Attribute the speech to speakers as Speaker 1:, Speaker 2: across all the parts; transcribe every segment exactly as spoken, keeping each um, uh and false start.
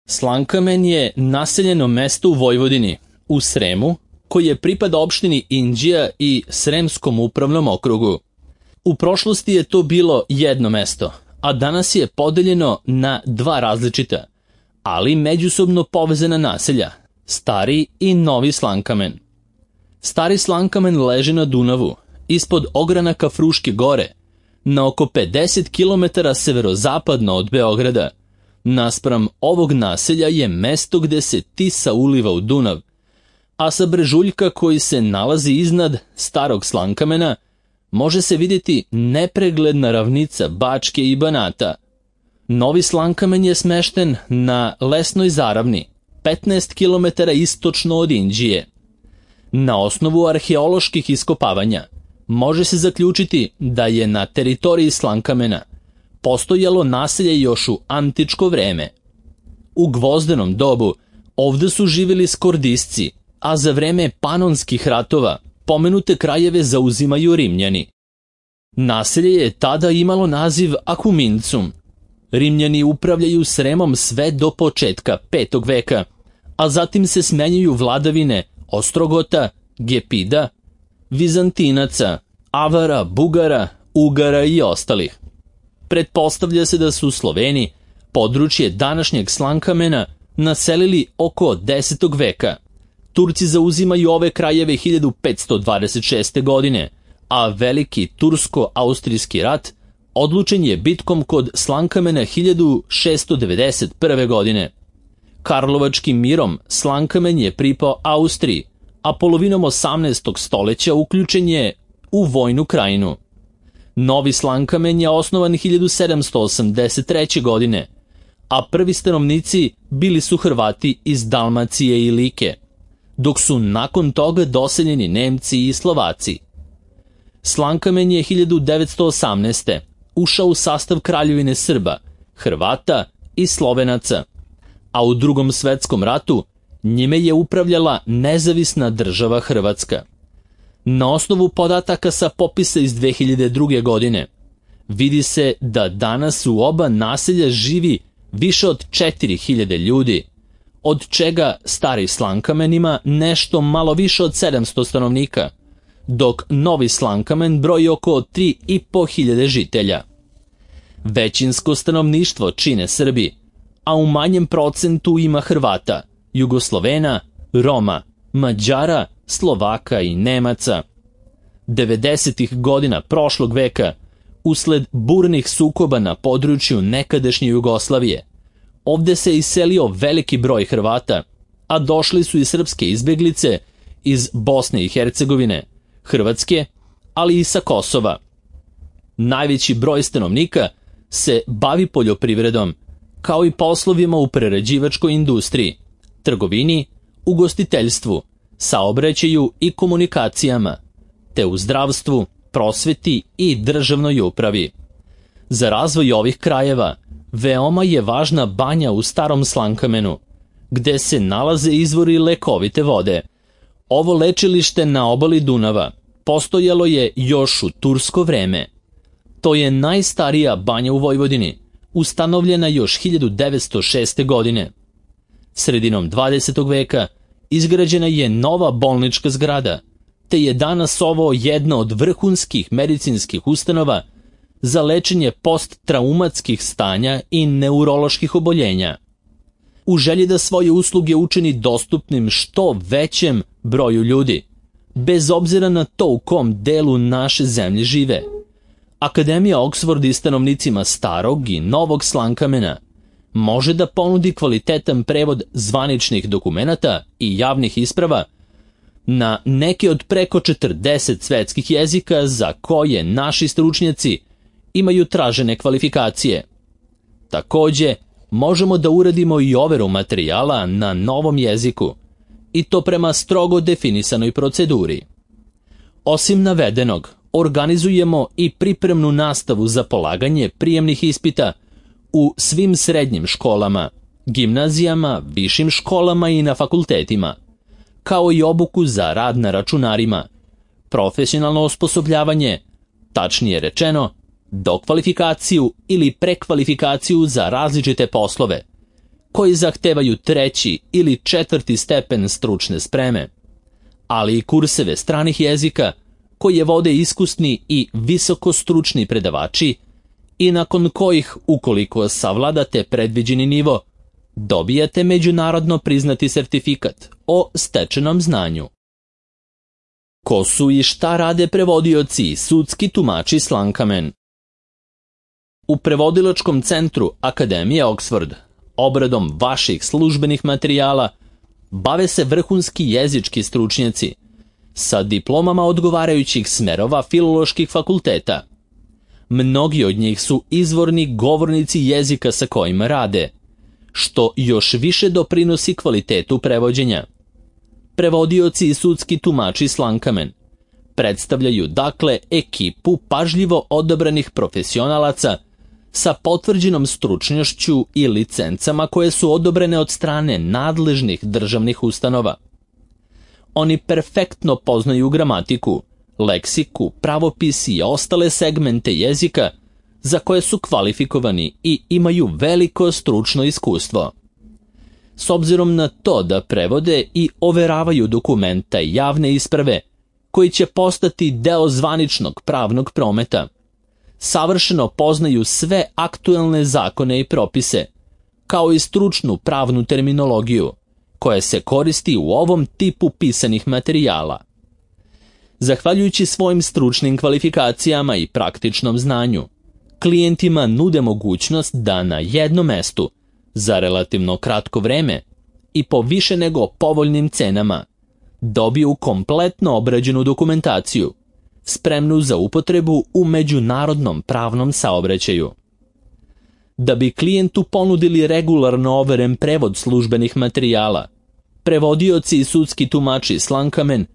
Speaker 1: Slankamen je naseljeno mesto u Vojvodini, u Sremu, koje pripada opštini Inđija i Sremskom upravnom okrugu. U prošlosti je to bilo jedno mesto, a danas je podeljeno na dva različita, ali međusobno povezana naselja, Stari i Novi Slankamen. Stari Slankamen leži na Dunavu, ispod ogranaka Fruške gore, na oko pedeset kilometara severozapadno od Beograda. Naspram ovog naselja je mesto gde se Tisa uliva u Dunav, a sa brežuljka koji se nalazi iznad Starog Slankamena može se vidjeti nepregledna ravnica Bačke i Banata. Novi Slankamen je smešten na lesnoj zaravni, petnaest kilometara istočno od Inđije. Na osnovu arheoloških iskopavanja može se zaključiti da je na teritoriji Slankamena postojalo naselje još u antičko vreme. U gvozdenom dobu ovde su živjeli skordisci, a za vreme panonskih ratova pomenute krajeve zauzimaju Rimljani. Naselje je tada imalo naziv Acumincum. Rimljani upravljaju Sremom sve do početka petog veka, a zatim se smenjuju vladavine Ostrogota, Gepida, Vizantinaca, Avara, Bugara, Ugara i ostalih. Pretpostavlja se da su Sloveni područje današnjeg Slankamena naselili oko desetog veka. Turci zauzimaju ove krajeve hiljadu petsto dvadeset šeste. godine, a veliki tursko-austrijski rat odlučen je bitkom kod Slankamena hiljadu šesto devedeset prve. godine. Karlovačkim mirom Slankamen je pripao Austriji, a polovinom osamnaestog stoleća uključen je u vojnu krajinu. Novi Slankamen je osnovan hiljadu sedamsto osamdeset treće. godine, a prvi stanovnici bili su Hrvati iz Dalmacije i Like, dok su nakon toga doseljeni Nemci i Slovaci. Slankamen je hiljadu devetsto osamnaeste. ušao u sastav Kraljevine Srba, Hrvata i Slovenaca, a u Drugom svetskom ratu njime je upravljala nezavisna država Hrvatska. Na osnovu podataka sa popisa iz dve hiljade druge. godine vidi se da danas u oba naselja živi više od četiri hiljade ljudi, od čega Stari Slankamen ima nešto malo više od sedamsto stanovnika, dok Novi Slankamen broji oko tri i po hiljade žitelja. Većinsko stanovništvo čine Srbi, a u manjem procentu ima Hrvata, Jugoslovena, Roma, Mađara, Slovaka i Nemaca. devedesetih godina prošlog veka, usled burnih sukoba na području nekadašnje Jugoslavije, ovde se iselio veliki broj Hrvata, a došli su i srpske izbeglice iz Bosne i Hercegovine, Hrvatske, ali i sa Kosova. Najveći broj stanovnika se bavi poljoprivredom, kao i poslovima u prerađivačkoj industriji, trgovini, ugostiteljstvu, saobraćaju i komunikacijama, te u zdravstvu, prosveti i državnoj upravi. Za razvoj ovih krajeva veoma je važna banja u Starom Slankamenu, gde se nalaze izvori lekovite vode. Ovo lečilište na obali Dunava postojalo je još u tursko vreme. To je najstarija banja u Vojvodini, ustanovljena još hiljadu devetsto šeste. godine. Sredinom dvadesetog veka izgrađena je nova bolnička zgrada, te je danas ovo jedna od vrhunskih medicinskih ustanova za lečenje posttraumatskih stanja i neuroloških oboljenja. U želji da svoje usluge učini dostupnim što većem broju ljudi, bez obzira na to u kom delu naše zemlje žive, Akademija Oksford i stanovnicima Starog i Novog Slankamena može da ponudi kvalitetan prevod zvaničnih dokumenata i javnih isprava na neke od preko četrdeset svetskih jezika za koje naši stručnjaci imaju tražene kvalifikacije. Takođe, možemo da uradimo i overu materijala na novom jeziku, i to prema strogo definisanoj proceduri. Osim navedenog, organizujemo i pripremnu nastavu za polaganje prijemnih ispita u svim srednjim školama, gimnazijama, višim školama i na fakultetima, kao i obuku za rad na računarima, profesionalno osposobljavanje, tačnije rečeno, dokvalifikaciju ili prekvalifikaciju za različite poslove, koji zahtevaju treći ili četvrti stepen stručne spreme, ali i kurseve stranih jezika koje vode iskusni i visokostručni predavači i nakon kojih, ukoliko savladate predviđeni nivo, dobijate međunarodno priznati sertifikat o stečenom znanju. Ko su i šta rade prevodioci i sudski tumači s Lankamen? U prevodilačkom centru Akademije Oxford obradom vaših službenih materijala bave se vrhunski jezički stručnjaci sa diplomama odgovarajućih smerova filoloških fakulteta. Mnogi od njih su izvorni govornici jezika sa kojima rade, što još više doprinosi kvalitetu prevođenja. Prevodioci i sudski tumači s Lankamen predstavljaju dakle ekipu pažljivo odabranih profesionalaca sa potvrđenom stručnošću i licencama koje su odobrene od strane nadležnih državnih ustanova. Oni perfektno poznaju gramatiku, leksiku, pravopis i ostale segmente jezika za koje su kvalifikovani i imaju veliko stručno iskustvo. S obzirom na to da prevode i overavaju dokumenta i javne isprave koji će postati deo zvaničnog pravnog prometa, savršeno poznaju sve aktuelne zakone i propise, kao i stručnu pravnu terminologiju koja se koristi u ovom tipu pisanih materijala. Zahvaljujući svojim stručnim kvalifikacijama i praktičnom znanju, klijentima nude mogućnost da na jednom mestu, za relativno kratko vreme i po više nego povoljnim cenama, dobiju kompletno obrađenu dokumentaciju, spremnu za upotrebu u međunarodnom pravnom saobraćaju. Da bi klijentu ponudili regularno overen prevod službenih materijala, prevodioci i sudski tumači s Lankamen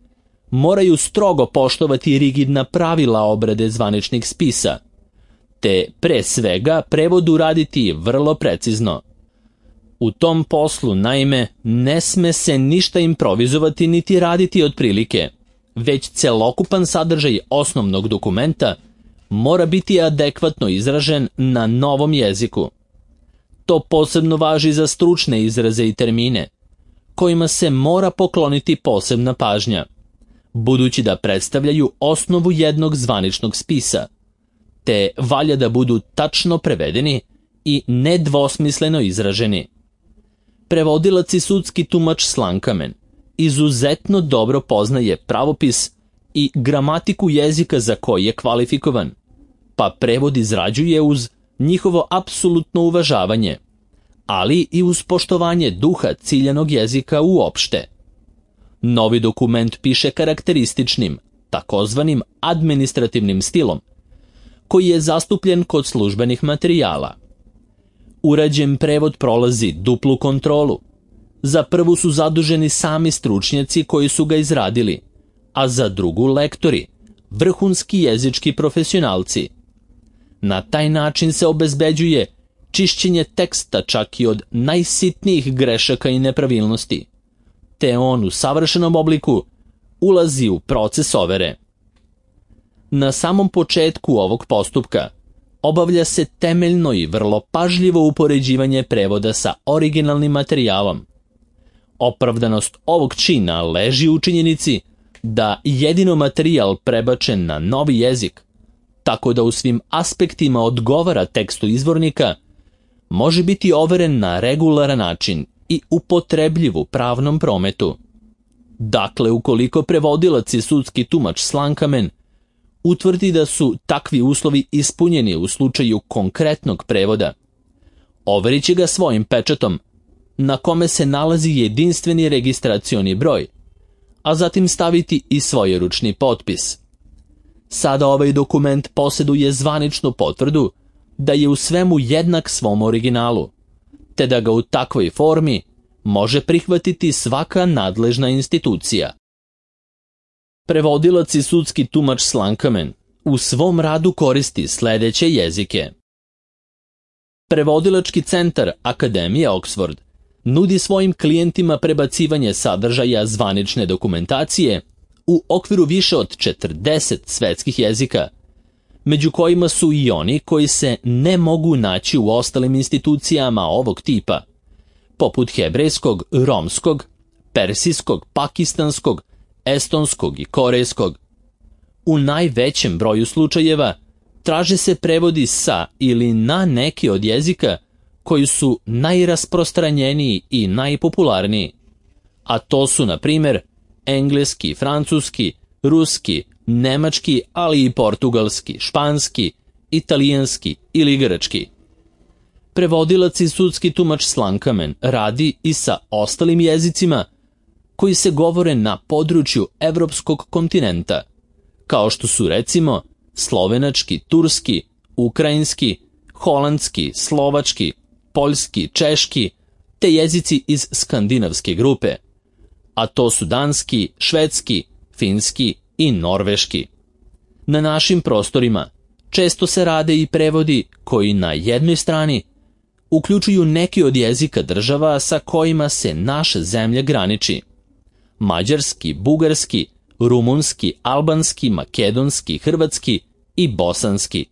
Speaker 1: moraju strogo poštovati rigidna pravila obrade zvaničnih spisa, te pre svega prevod uraditi vrlo precizno. U tom poslu, naime, ne sme se ništa improvizovati niti raditi otprilike, već celokupan sadržaj osnovnog dokumenta mora biti adekvatno izražen na novom jeziku. To posebno važi za stručne izraze i termine, kojima se mora pokloniti posebna pažnja, budući da predstavljaju osnovu jednog zvaničnog spisa, te valja da budu tačno prevedeni i nedvosmisleno izraženi. Prevodilac i sudski tumač s Lankamen izuzetno dobro poznaje pravopis i gramatiku jezika za koji je kvalifikovan, pa prevod izrađuje uz njihovo apsolutno uvažavanje, ali i uz poštovanje duha ciljanog jezika uopšte. Novi dokument piše karakterističnim, takozvanim administrativnim stilom, koji je zastupljen kod službenih materijala. Urađen prevod prolazi duplu kontrolu. Za prvu su zaduženi sami stručnjaci koji su ga izradili, a za drugu lektori, vrhunski jezički profesionalci. Na taj način se obezbeđuje čišćenje teksta čak i od najsitnijih grešaka i nepravilnosti, te on u savršenom obliku ulazi u proces overe. Na samom početku ovog postupka obavlja se temeljno i vrlo pažljivo upoređivanje prevoda sa originalnim materijalom. Opravdanost ovog čina leži u činjenici da jedino materijal prebačen na novi jezik, tako da u svim aspektima odgovara tekstu izvornika, može biti overen na regularan način i upotrebljiv u pravnom prometu. Dakle, ukoliko prevodilac i sudski tumač s Lankamen utvrdi da su takvi uslovi ispunjeni u slučaju konkretnog prevoda, overit će ga svojim pečatom, na kome se nalazi jedinstveni registracioni broj, a zatim staviti i svojeručni potpis. Sada ovaj dokument posjeduje zvaničnu potvrdu da je u svemu jednak svom originalu, te da ga u takvoj formi može prihvatiti svaka nadležna institucija. Prevodilac i sudski tumač s Lankamen u svom radu koristi sledeće jezike. Prevodilački centar Akademije Oxford nudi svojim klijentima prebacivanje sadržaja zvanične dokumentacije u okviru više od četrdeset svetskih jezika, među kojima su i oni koji se ne mogu naći u ostalim institucijama ovog tipa, poput hebrejskog, romskog, persijskog, pakistanskog, estonskog i korejskog. U najvećem broju slučajeva traže se prevodi sa ili na neki od jezika koji su najrasprostranjeniji i najpopularniji, a to su, na primjer, engleski, francuski, ruski, nemački, ali i portugalski, španski, italijanski ili grčki. Prevodilac i sudski tumač Slankamen radi i sa ostalim jezicima koji se govore na području evropskog kontinenta, kao što su recimo slovenački, turski, ukrajinski, holandski, slovački, poljski, češki, te jezici iz skandinavske grupe, a to su danski, švedski, finski i norveški. Na našim prostorima često se rade i prevodi koji na jednoj strani uključuju neki od jezika država sa kojima se naša zemlja graniči: mađarski, bugarski, rumunski, albanski, makedonski, hrvatski i bosanski.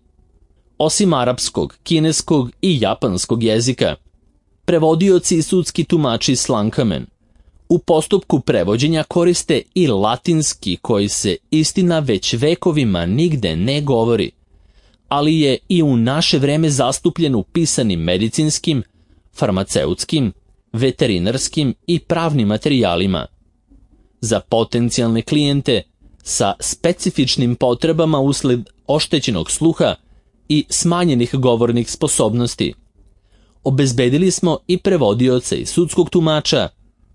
Speaker 1: Osim arapskog, kineskog i japanskog jezika, prevodioci i sudski tumači Slankamen u postupku prevođenja koriste i latinski, koji se, istina, već vekovima nigde ne govori, ali je i u naše vreme zastupljen u pisanim medicinskim, farmaceutskim, veterinarskim i pravnim materijalima. Za potencijalne klijente sa specifičnim potrebama usled oštećenog sluha i smanjenih govornih sposobnosti obezbedili smo i prevodioce i sudskog tumača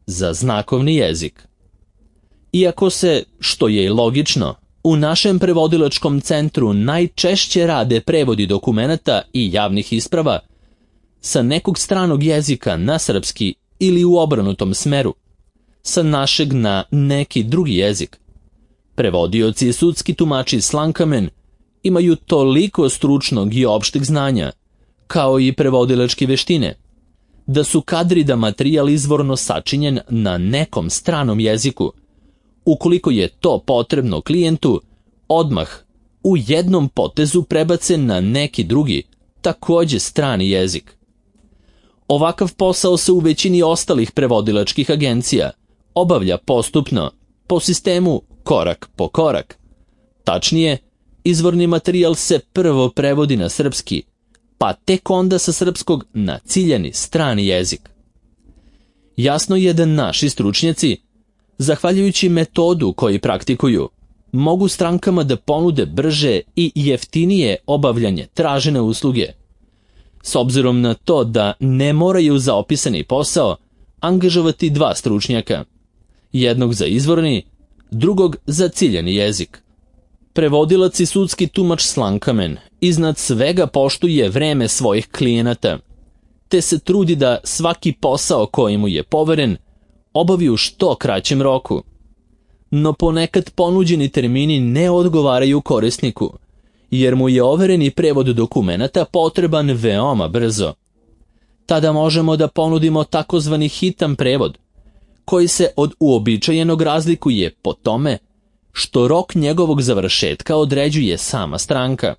Speaker 1: za znakovni jezik. Iako se, što je i logično, u našem prevodilačkom centru najčešće rade prevodi dokumenata i javnih isprava sa nekog stranog jezika na srpski ili u obrnutom smeru, sa našeg na neki drugi jezik, prevodioci i sudski tumači Slankamen imaju toliko stručnog i opšteg znanja, kao i prevodilačke veštine, da su kadri da materijal izvorno sačinjen na nekom stranom jeziku, ukoliko je to potrebno klijentu, odmah u jednom potezu prebace na neki drugi, takođe strani jezik. Ovakav posao se u većini ostalih prevodilačkih agencija obavlja postupno, po sistemu korak po korak. Tačnije, izvorni materijal se prvo prevodi na srpski, pa tek onda sa srpskog na ciljani strani jezik. Jasno je da naši stručnjaci, zahvaljujući metodu koji praktikuju, mogu strankama da ponude brže i jeftinije obavljanje tražene usluge, s obzirom na to da ne moraju za opisani posao angažovati dva stručnjaka, jednog za izvorni, drugog za ciljani jezik. Prevodilac i sudski tumač Slankamen iznad svega poštuje vreme svojih klijenata, te se trudi da svaki posao koji mu je poveren obavi u što kraćem roku. No ponekad ponuđeni termini ne odgovaraju korisniku, jer mu je overeni prevod dokumenata potreban veoma brzo. Tada možemo da ponudimo takozvani hitan prevod, koji se od uobičajenog razlikuje po tome što rok njegovog završetka određuje sama stranka,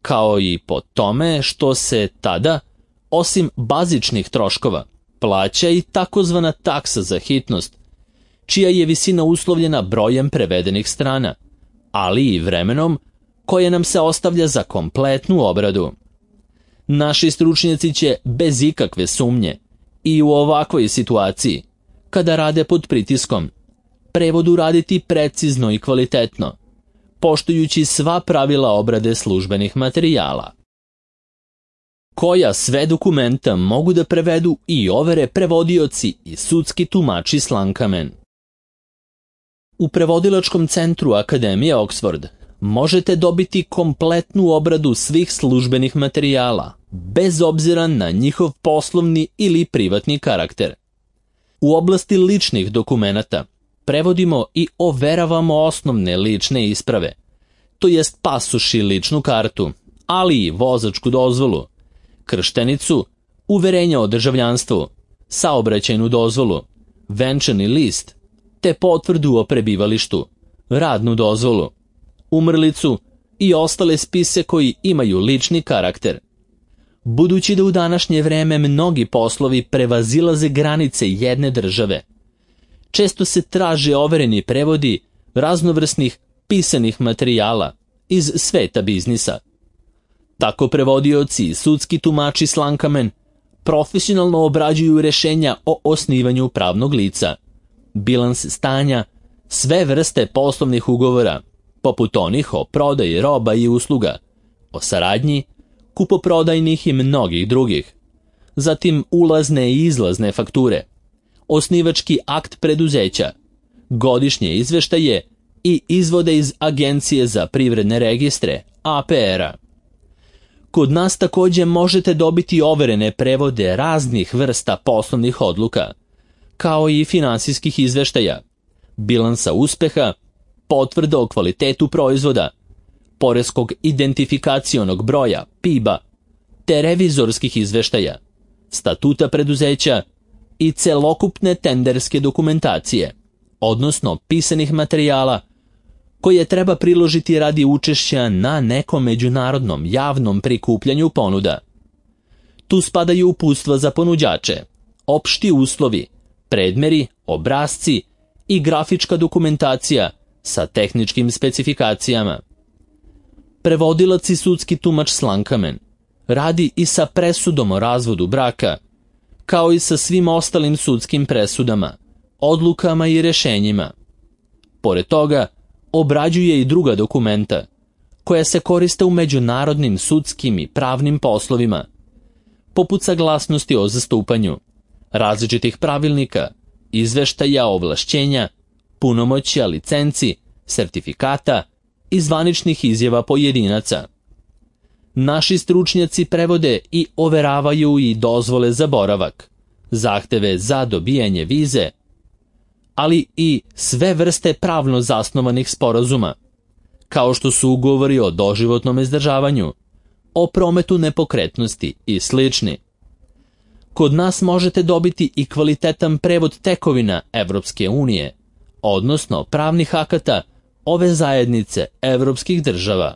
Speaker 1: kao i po tome što se tada, osim bazičnih troškova, plaća i takozvana taksa za hitnost, čija je visina uslovljena brojem prevedenih strana, ali i vremenom koje nam se ostavlja za kompletnu obradu. Naši stručnjaci će bez ikakve sumnje i u ovakvoj situaciji, kada rade pod pritiskom, prevod uraditi precizno i kvalitetno, poštujući sva pravila obrade službenih materijala. Koja sve dokumenta mogu da prevedu i overe prevodioci i sudski tumači Slankamen? U prevodilačkom centru Akademije Oxford možete dobiti kompletnu obradu svih službenih materijala, bez obzira na njihov poslovni ili privatni karakter. U oblasti ličnih dokumenata prevodimo i overavamo osnovne lične isprave, to jest pasoš i ličnu kartu, ali i vozačku dozvolu, krštenicu, uverenje o državljanstvu, saobraćajnu dozvolu, venčani list, te potvrdu o prebivalištu, radnu dozvolu, umrlicu i ostale spise koji imaju lični karakter. Budući da u današnje vreme mnogi poslovi prevazilaze granice jedne države, često se traže overeni prevodi raznovrsnih pisanih materijala iz sveta biznisa. Tako prevodioci i sudski tumači slankamen profesionalno obrađuju rešenja o osnivanju pravnog lica, bilans stanja, sve vrste poslovnih ugovora, poput onih o prodaji roba i usluga, o saradnji, kupoprodajnih i mnogih drugih, zatim ulazne i izlazne fakture, osnivački akt preduzeća, godišnje izveštaje i izvode iz Agencije za privredne registre, A P R-a. Kod nas također možete dobiti overene prevode raznih vrsta poslovnih odluka, kao i finansijskih izveštaja, bilansa uspeha, potvrda o kvalitetu proizvoda, poreskog identifikacionog broja, P I B-a, te revizorskih izveštaja, statuta preduzeća i celokupne tenderske dokumentacije, odnosno pisanih materijala koje treba priložiti radi učešća na nekom međunarodnom javnom prikupljanju ponuda. Tu spadaju uputstva za ponuđače, opšti uslovi, predmeri, obrasci i grafička dokumentacija sa tehničkim specifikacijama. Prevodilac i sudski tumač slankamen radi i sa presudom o razvodu braka, kao i sa svim ostalim sudskim presudama, odlukama i rešenjima. Pored toga, obrađuje i druga dokumenta, koja se koriste u međunarodnim sudskim i pravnim poslovima, poput saglasnosti o zastupanju, različitih pravilnika, izveštaja ovlašćenja, punomoćja, licenci, sertifikata i zvaničnih izjava pojedinaca. Naši stručnjaci prevode i overavaju i dozvole za boravak, zahteve za dobijanje vize, ali i sve vrste pravno zasnovanih sporazuma, kao što su ugovori o doživotnom izdržavanju, o prometu nepokretnosti i slični. Kod nas možete dobiti i kvalitetan prevod tekovina Evropske unije, odnosno pravnih akata ove zajednice evropskih država.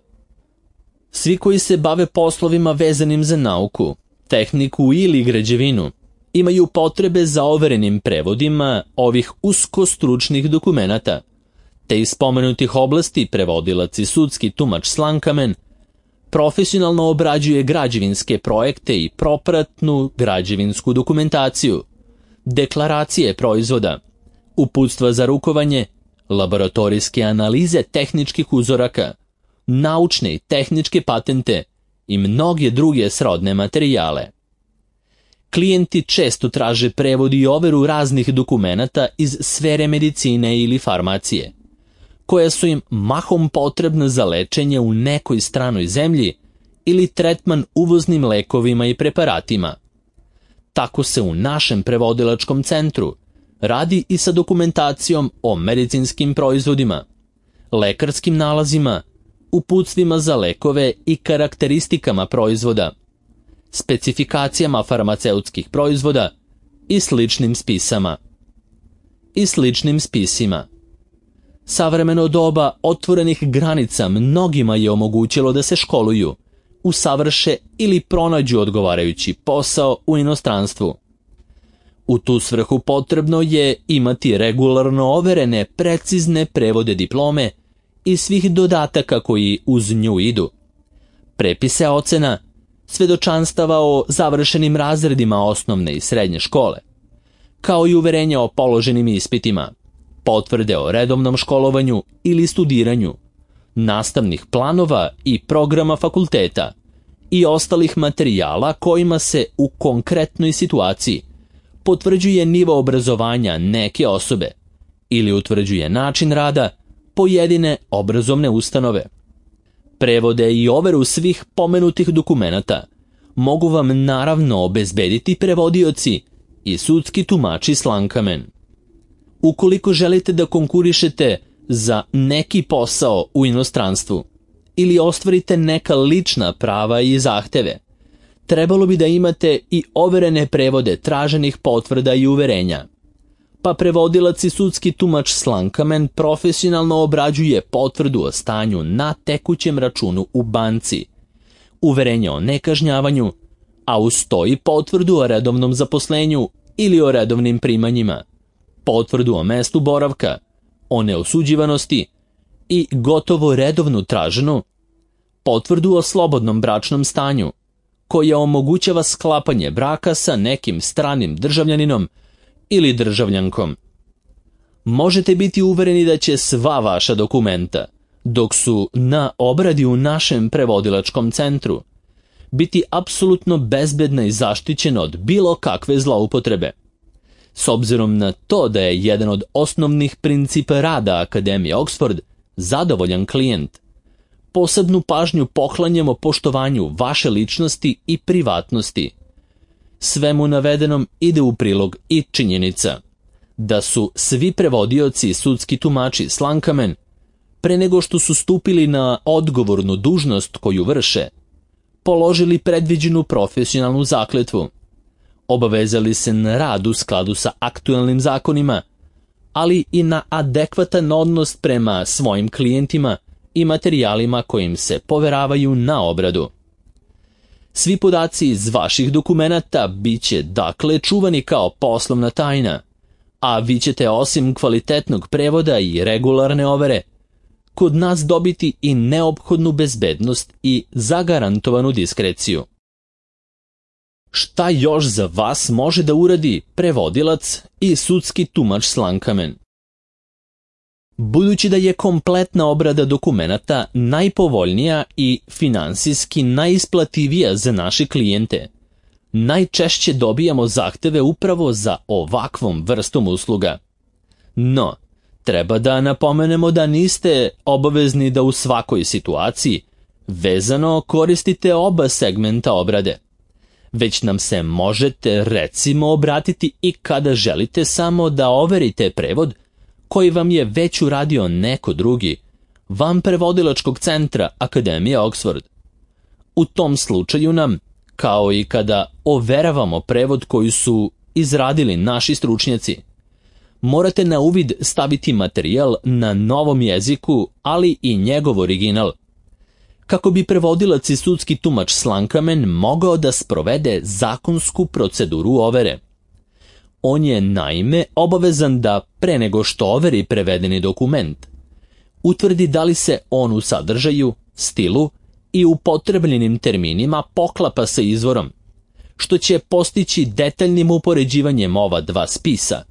Speaker 1: Svi koji se bave poslovima vezanim za nauku, tehniku ili građevinu, imaju potrebe za overenim prevodima ovih uskostručnih dokumenata, te iz spomenutih oblasti prevodilac i sudski tumač slankamen profesionalno obrađuje građevinske projekte i propratnu građevinsku dokumentaciju, deklaracije proizvoda, uputstva za rukovanje, laboratorijske analize tehničkih uzoraka, naučne i tehničke patente i mnoge druge srodne materijale. Klijenti često traže prevod i overu raznih dokumenata iz sfere medicine ili farmacije, koja su im mahom potrebna za lečenje u nekoj stranoj zemlji ili tretman uvoznim lekovima i preparatima. Tako se u našem prevodilačkom centru radi i sa dokumentacijom o medicinskim proizvodima, lekarskim nalazima, uputstvima za lekove i karakteristikama proizvoda, specifikacijama farmaceutskih proizvoda i sličnim spisama. I sličnim spisima. Savremeno doba otvorenih granica mnogima je omogućilo da se školuju, usavrše ili pronađu odgovarajući posao u inostranstvu. U tu svrhu potrebno je imati regularno overene precizne prevode diplome i svih dodataka koji uz nju idu, prepise ocena, svedočanstava o završenim razredima osnovne i srednje škole, kao i uverenja o položenim ispitima, potvrde o redovnom školovanju ili studiranju, nastavnih planova i programa fakulteta i ostalih materijala kojima se u konkretnoj situaciji potvrđuje nivo obrazovanja neke osobe ili utvrđuje način rada pojedine obrazovne ustanove. Prevode i overu svih pomenutih dokumenata mogu vam naravno obezbediti prevodioci i sudski tumači slankamen. Ukoliko želite da konkurišete za neki posao u inostranstvu ili ostvarite neka lična prava i zahteve, trebalo bi da imate i overene prevode traženih potvrda i uverenja. Pa prevodilac i sudski tumač slankamen profesionalno obrađuje potvrdu o stanju na tekućem računu u banci, uverenje o nekažnjavanju, a uz to i potvrdu o redovnom zaposlenju ili o redovnim primanjima, potvrdu o mestu boravka, o neosuđivanosti i gotovo redovnu traženu, potvrdu o slobodnom bračnom stanju, koja omogućava sklapanje braka sa nekim stranim državljaninom ili državljankom. Možete biti uvereni da će sva vaša dokumenta, dok su na obradi u našem prevodilačkom centru, biti apsolutno bezbedna i zaštićena od bilo kakve zloupotrebe. S obzirom na to da je jedan od osnovnih principa rada Akademije Oxford zadovoljan klijent, posebnu pažnju poklanjamo poštovanju vaše ličnosti i privatnosti. Svemu navedenom ide u prilog i činjenica da su svi prevodioci i sudski tumači Slankamen, pre nego što su stupili na odgovornu dužnost koju vrše, položili predviđenu profesionalnu zakletvu, obavezali se na rad u skladu sa aktuelnim zakonima, ali i na adekvatan odnos prema svojim klijentima i materijalima kojim se poveravaju na obradu. Svi podaci iz vaših dokumenata bit će dakle čuvani kao poslovna tajna, a vi ćete osim kvalitetnog prevoda i regularne overe kod nas dobiti i neophodnu bezbednost i zagarantovanu diskreciju. Šta još za vas može da uradi prevodilac i sudski tumač Slankamen? Budući da je kompletna obrada dokumenata najpovoljnija i finansijski najisplativija za naše klijente, najčešće dobijamo zahteve upravo za ovakvom vrstom usluga. No, treba da napomenemo da niste obavezni da u svakoj situaciji vezano koristite oba segmenta obrade, već nam se možete recimo obratiti i kada želite samo da overite prevod koji vam je već uradio neko drugi, van prevodilačkog centra Akademije Oxford. U tom slučaju nam, kao i kada overavamo prevod koji su izradili naši stručnjaci, morate na uvid staviti materijal na novom jeziku, ali i njegov original, kako bi prevodilac i sudski tumač Slankamen mogao da sprovede zakonsku proceduru overe. On je naime obavezan da, pre nego što overi prevedeni dokument, utvrdi da li se on u sadržaju, stilu i upotrebljenim terminima poklapa sa izvorom, što će postići detaljnim upoređivanjem ova dva spisa.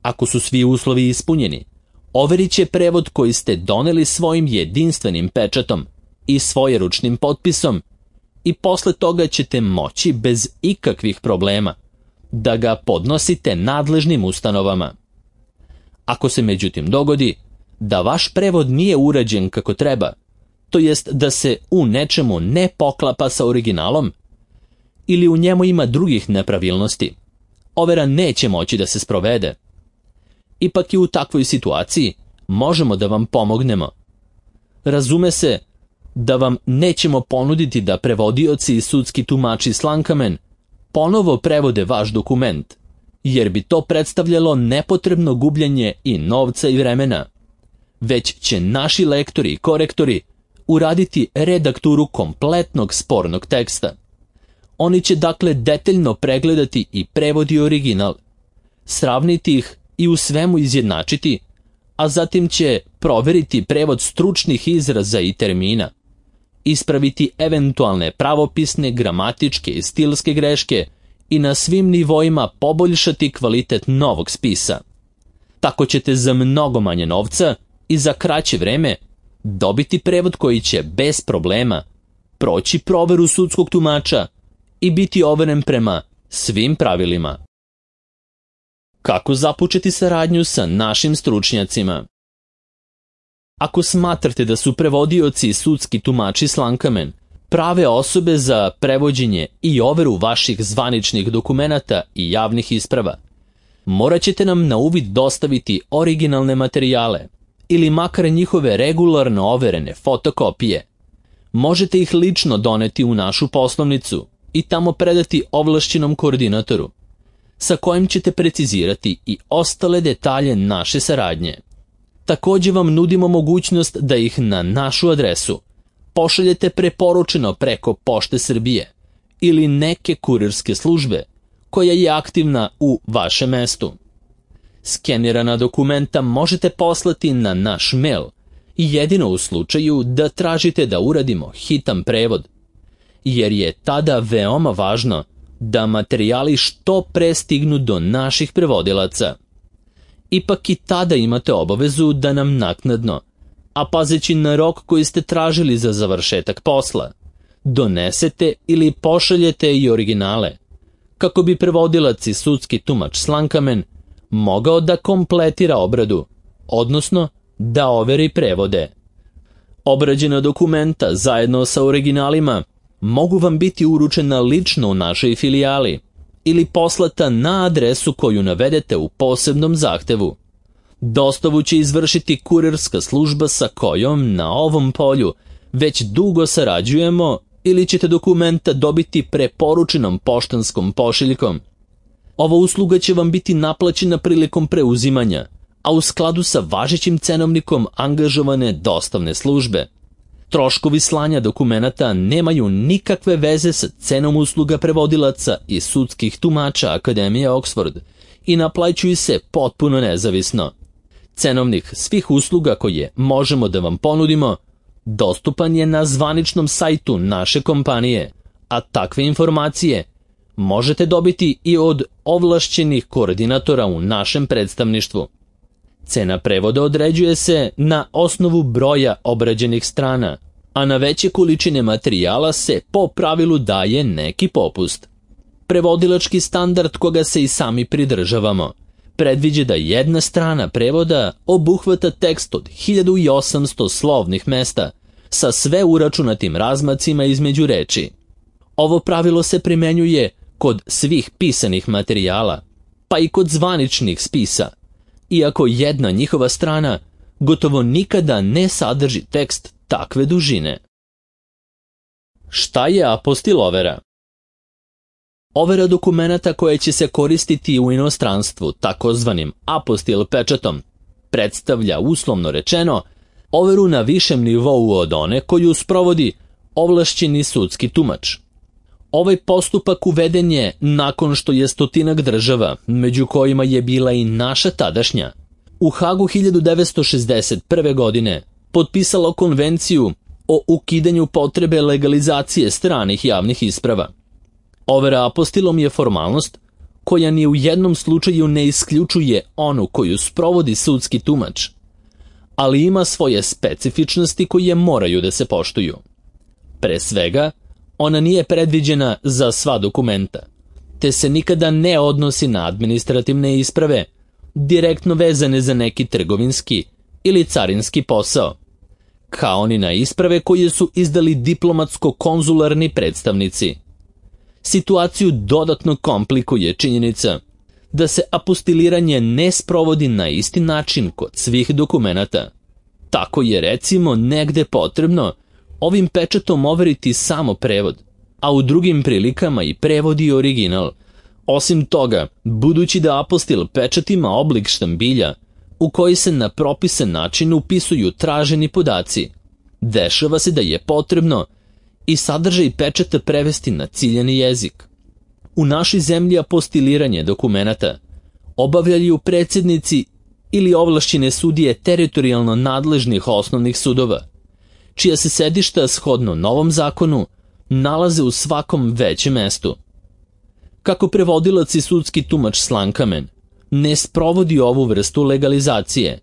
Speaker 1: Ako su svi uslovi ispunjeni, overit će prevod koji ste doneli svojim jedinstvenim pečatom i svojeručnim potpisom i posle toga ćete moći bez ikakvih problema da ga podnosite nadležnim ustanovama. Ako se međutim dogodi da vaš prevod nije urađen kako treba, to jest da se u nečemu ne poklapa sa originalom ili u njemu ima drugih nepravilnosti, overa neće moći da se sprovede. Ipak i u takvoj situaciji možemo da vam pomognemo. Razume se da vam nećemo ponuditi da prevodioci i sudski tumači Slankamen ponovo prevode vaš dokument, jer bi to predstavljalo nepotrebno gubljenje i novca i vremena, već će naši lektori i korektori uraditi redakturu kompletnog spornog teksta. Oni će dakle detaljno pregledati i prevod i original, sravniti ih i u svemu izjednačiti, a zatim će proveriti prevod stručnih izraza i termina, ispraviti eventualne pravopisne, gramatičke i stilske greške i na svim nivoima poboljšati kvalitet novog spisa. Tako ćete za mnogo manje novca i za kraće vreme dobiti prevod koji će bez problema proći proveru sudskog tumača i biti overen prema svim pravilima. Kako započeti saradnju sa našim stručnjacima? Ako smatrate da su prevodioci i sudski tumači Slankamen prave osobe za prevođenje i overu vaših zvaničnih dokumenata i javnih isprava, morat ćete nam na uvid dostaviti originalne materijale ili makar njihove regularno overene fotokopije. Možete ih lično doneti u našu poslovnicu i tamo predati ovlašćenom koordinatoru, sa kojim ćete precizirati i ostale detalje naše saradnje. Također vam nudimo mogućnost da ih na našu adresu pošaljete preporučeno preko Pošte Srbije ili neke kurirske službe koja je aktivna u vašem mestu. Skenirana dokumenta možete poslati na naš mail i jedino u slučaju da tražite da uradimo hitan prevod, jer je tada veoma važno da materijali što pre stignu do naših prevodilaca. Ipak i tada imate obavezu da nam naknadno, a pazeći na rok koji ste tražili za završetak posla, donesete ili pošaljete i originale, kako bi prevodilac i sudski tumač Slankamen mogao da kompletira obradu, odnosno da overi prevode. Obrađena dokumenta zajedno sa originalima mogu vam biti uručena lično u našoj filijali ili poslata na adresu koju navedete u posebnom zahtevu. Dostavu će izvršiti kurirska služba sa kojom na ovom polju već dugo sarađujemo ili ćete dokumenta dobiti preporučenom poštanskom pošiljkom. Ova usluga će vam biti naplaćena prilikom preuzimanja, a u skladu sa važećim cenovnikom angažovane dostavne službe. Troškovi slanja dokumenata nemaju nikakve veze sa cenom usluga prevodilaca i sudskih tumača Akademije Oxford i naplaćuju se potpuno nezavisno. Cenovnik svih usluga koje možemo da vam ponudimo dostupan je na zvaničnom sajtu naše kompanije, a takve informacije možete dobiti i od ovlašćenih koordinatora u našem predstavništvu. Cena prevoda određuje se na osnovu broja obrađenih strana, a na veće količine materijala se po pravilu daje neki popust. Prevodilački standard koga se i sami pridržavamo predviđa da jedna strana prevoda obuhvata tekst od hiljadu osamsto slovnih mesta sa sve uračunatim razmacima između reči. Ovo pravilo se primenjuje kod svih pisanih materijala, pa i kod zvaničnih spisa, iako jedna njihova strana gotovo nikada ne sadrži tekst takve dužine. Šta je apostil overa? Overa dokumenata koje će se koristiti u inostranstvu, takozvanim apostil pečatom, predstavlja, uslovno rečeno, overu na višem nivou od one koju sprovodi ovlašćeni sudski tumač. Ovaj postupak uveden je nakon što je stotinak država, među kojima je bila i naša tadašnja, u Hagu hiljadu devetsto šezdeset prve. godine potpisalo konvenciju o ukidanju potrebe legalizacije stranih javnih isprava. Overa apostilom je formalnost koja ni u jednom slučaju ne isključuje onu koju sprovodi sudski tumač, ali ima svoje specifičnosti koje moraju da se poštuju. Pre svega, ona nije predviđena za sva dokumenta, te se nikada ne odnosi na administrativne isprave, direktno vezane za neki trgovinski ili carinski posao, kao ni na isprave koje su izdali diplomatsko-konzularni predstavnici. Situaciju dodatno komplikuje činjenica da se apostiliranje ne sprovodi na isti način kod svih dokumenata. Tako je recimo negde potrebno ovim pečatom overiti samo prevod, a u drugim prilikama i prevod i original. Osim toga, budući da apostil pečat ima oblik štambilja u koji se na propisan način upisuju traženi podaci, dešava se da je potrebno i sadržaj pečata prevesti na ciljani jezik. U našoj zemlji apostiliranje dokumenata obavljaju predsjednici ili ovlašćene sudije teritorijalno nadležnih osnovnih sudova, čija se sedišta shodno novom zakonu nalaze u svakom većem mestu. Kako prevodilac i sudski tumač Slankamen ne sprovodi ovu vrstu legalizacije,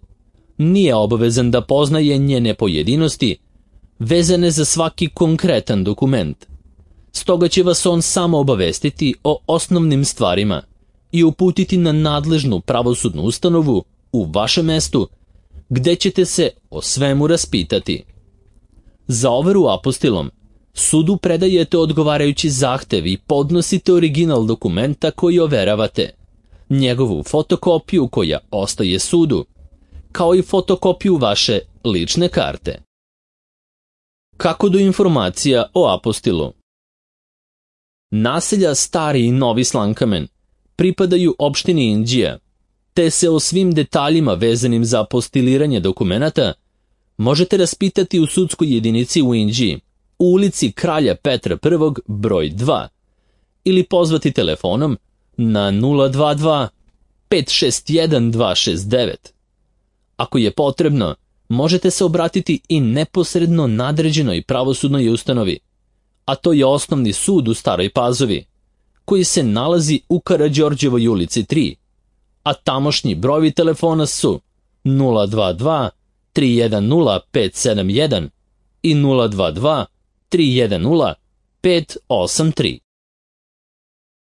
Speaker 1: nije obavezan da poznaje njene pojedinosti vezane za svaki konkretan dokument. Stoga će vas on samo obavestiti o osnovnim stvarima i uputiti na nadležnu pravosudnu ustanovu u vašem mestu, gde ćete se o svemu raspitati. Za overu apostilom sudu predajete odgovarajući zahtev i podnosite original dokumenta koji overavate, njegovu fotokopiju koja ostaje sudu, kao i fotokopiju vaše lične karte. Kako do informacija o apostilu? Naselja Stari i Novi Slankamen pripadaju opštini Inđija, te se o svim detaljima vezanim za apostiliranje dokumenata možete raspitati u sudskoj jedinici u Inđiji, u ulici Kralja Petra I, broj dva, ili pozvati telefonom na nula dva dva pet šest jedan dva šest devet. Ako je potrebno, možete se obratiti i neposredno nadređenoj pravosudnoj ustanovi, a to je Osnovni sud u Staroj Pazovi, koji se nalazi u Karađorđevoj ulici tri, a tamošnji brojevi telefona su nula dva dva tri jedan nula pet sedam jedan i nula dva dva tri jedan nula pet osam tri.